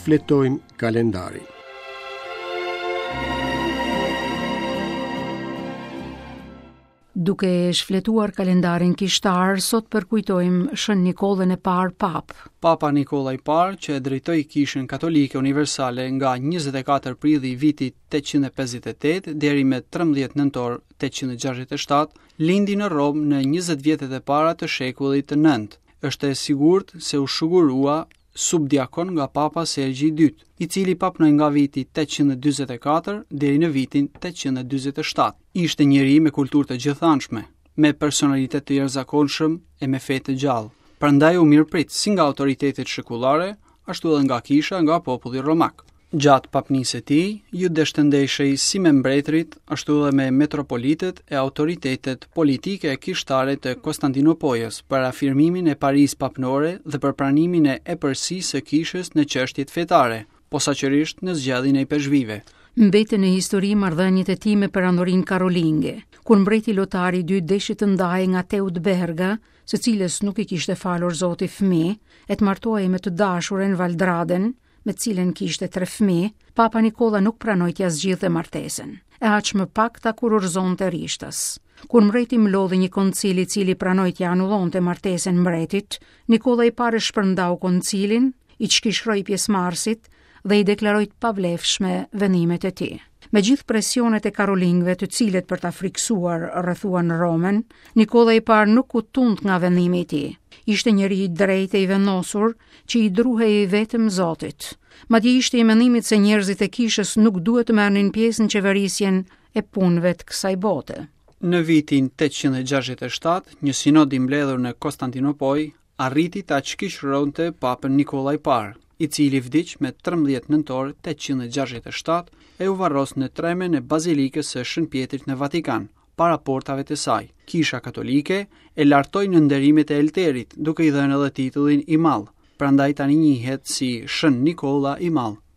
Shfletojmë kalendarin. Duke shfletuar kalendarin kishtar, sot përkujtojmë Shën Nikollën e Parë Papë. Papa Nikolla i Parë, që e drejtoi Kishën Katolike Universale nga 24 prilli i vitit 858 deri me 13 nëntor 867, lindi në Romë në 20 vjetët e para të shekullit të 9. Është e sigurt se u shugurua subdiakon nga Papa Sergji i II, i cili papnoi nga viti 844 deri në vitin 847. Ishte njeri me kulturë të gjithanshme, me personalitet të jashtëzakonshëm e me fe të gjallë. Prandaj u mirëprit si nga autoritetet shekullare, ashtu edhe nga kisha nga populli romak. Gjatë papnisë së tij, iu desh të ndeshej si me mbretërit, ashtu edhe me metropolitët e autoritetet politike e kishtare të Konstantinopojës për afirmimin e parisë papnore dhe për pranimin e epërsisë së kishës në çështjet fetare, posaçërisht në zgjedhjen e ipeshkvijve. Mbetën në histori marrëdhëniet e tij me perandorinë karolinge. Kur mbreti Lotari II deshi të ndahej nga Teutberga, së cilës nuk i kishte falur Zoti fëmijë, e të martohej me të dashurën Valdraden, me të cilën kishte tre fëmijë, Papa Nikolla nuk pranoi t'ia zgjidhte martesën, e aq më pak ta kurorëzonte rishtas. Kur mbreti mblodhi një koncil i cili pranoi t'ia anullonte martesën mbretit, Nikolla i Parë shpërndau koncilin, i çkishroi pjesëmarrësit dhe i deklaroi të pavlefshme vendimet e tij. Me gjithë presionet e karolingëve të cilët për ta frikësuar rrethuan Romën, Nikolla i Parë nuk u tund nga vendimi i tij. Ishte njeri i drejtë e i vendosur, që i druhej vetëm Zotit. Madje ishte i mendimit se njerëzit e kishës nuk duhet të merrnin pjesë në qeverisjen e punëve të kësaj bote. Në vitin 867, një sinod i mbledhur në Konstantinopojë arriti ta çkishëronte Papën Nikolla i Parë, i cili vdiq me 13 nëntor 867 e u varros në tremen e Bazilikës së Shën Pjetrit në Vatikan, para portave të saj. Kisha Katolike e lartoi në nderimet e Elterit, duke i dhënë edhe titullin i Madh, prandaj tani njihet si Shën Nikolla i Madh.